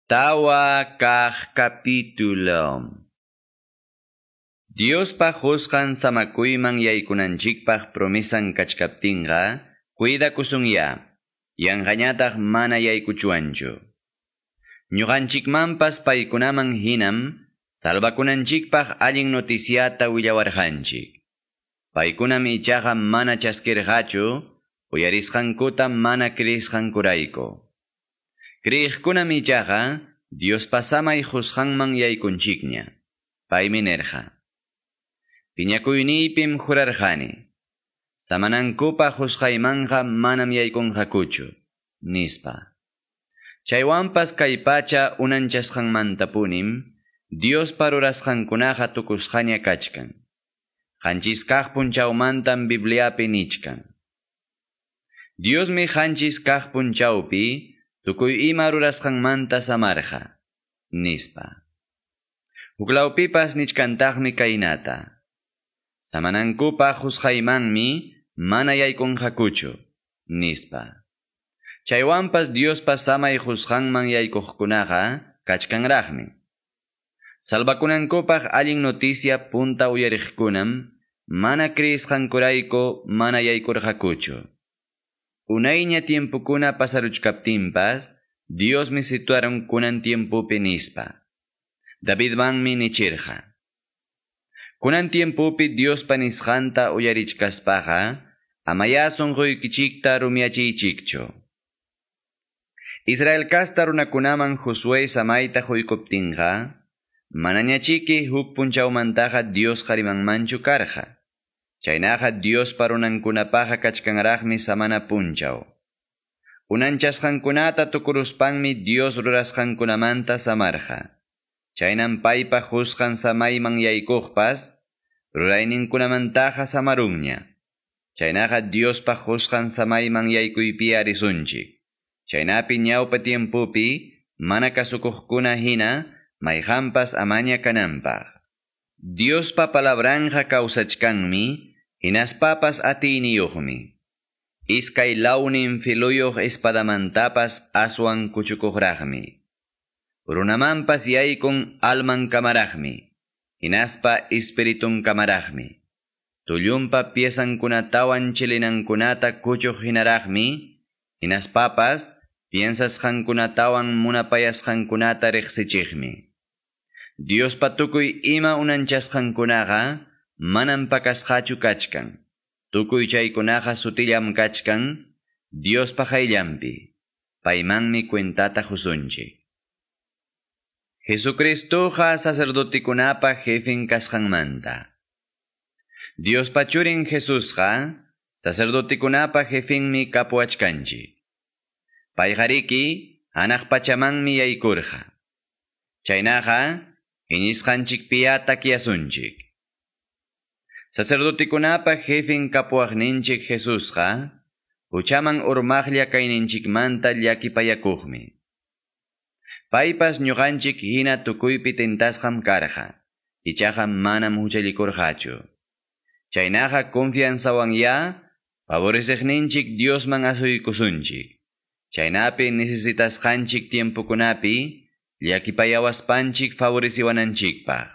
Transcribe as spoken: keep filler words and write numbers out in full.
Tawa kaq capítulo. Diospa qusqan samakuyman yaykunanchikpaq promesan kachkaptinqa, cuidakusunya, yanqañataq mana yaykuchuanchu. Ñuqanchikmanpas paykunaman hinam, salvakunanchikpaq allin noticiata willawarqanchik. Paykunam ichaqa mana chaskirqachu, uyarisqankuta mana creisqankurayku. Creeqkunam ichaqa, Diospa samay qusqanman yaykunchikña. Paymi nirqa: Piñakuyniypim jurarqani. Samanankupaq qusqaymanqa manam yaykunqakuchu, nispa. Chaywanpas kay pacha unanchasqanmantapunim, Diospa rurasqankunaqa tukusqaña kachkan. Qanchis kaq punchawmantam Bibliapi nichkan. Diosmi qanchis kaq punchawpi tukuy ima rurasqanmanta samarqa, nispa. Huklawpipas nichkantaqmi kaynata: Samanankupaq qusqaymanmi mana yaykunqakuchu, nispa. Chaywanpas Diospa samay qusqanman yaykuqkunaqa kachkanraqmi. Salvakunankupaq allin noticia punta uyariqkunam mana creisqankurayku mana yaykurqakuchu. Unayña tiempukuna pasaruchkaptinpas, Diosmi situaron kunan tiempupi nispa. Davidmanmi nichirqa: Kunan tiempupi Diospa nisqanta uyarichkaspaqa, amaya sunquykichikta rumiyachiychikchu. Israel kasta runakunaman Josué samayta quykuptinqa, manañachiki huk punchawmantaqa Diosqa rimanmanchu karqa. Chaynaqa Diospa runankunapaqa kachkanraqmi samana punchaw. Unanchasqankunata tukuruspanmi Dios rurasqankunamanta samarqa. Chaynam paypa qusqan samayman yaykuqpas, rurayninkunamantaqa samarunña. Chaynaqa Diospa qusqan samayman yaykuypi arisunchik. Chaynapi ñawpa tiempupi mana kasukuqkuna hina mayqanpas amaña kananpaq. Diospa palabranja kawsachkanmi, hinaspapas atiyniyuqmi. Iskay lawnin filuyuq espadamantapas aswan kuchukuqraqmi. Runamanpas yaykun alman kamaraqmi, hinaspa espiritun kamaraqmi. Tullunpa piesankunatawan chilinankunata kuchuq hinaraqmi, hinaspapas piensasqankunatawan munapayasqankunata riqsichiqmi. Diospa tukuy ima unanchasqankunaqa manam pakasqachu kachkan. Tukuy chaykunaqa sutillam kachkan Diospa qayllanpi. Paymanmi cuentata qusunchik. Jesucristoqa sacerdotekunapa jefen kasqanmanta. Diospa churin Jesusqa sacerdotekunapa jefenmi kapuwachkanchik. Payqariki hanaq pachamanmi yaykurqa. Chaynaqa iñisqanchikpiya takyasunchik. Sacerdotekunapa jefen kapuwaqninchik Jesusqa huchaman urmaqlla kayninchikmanta llakipayakuqmi. Paypas ñuqanchik hina tukuypi tentasqam karqa, ichaqa manam huchallikurqachu. Chaynaqa confianzawanya favoreceqninchik Diosman asuykusunchik. Chaynapi necesitasqanchik tiempukunapi llakipayawaspanchik favoreciwananchikpaq.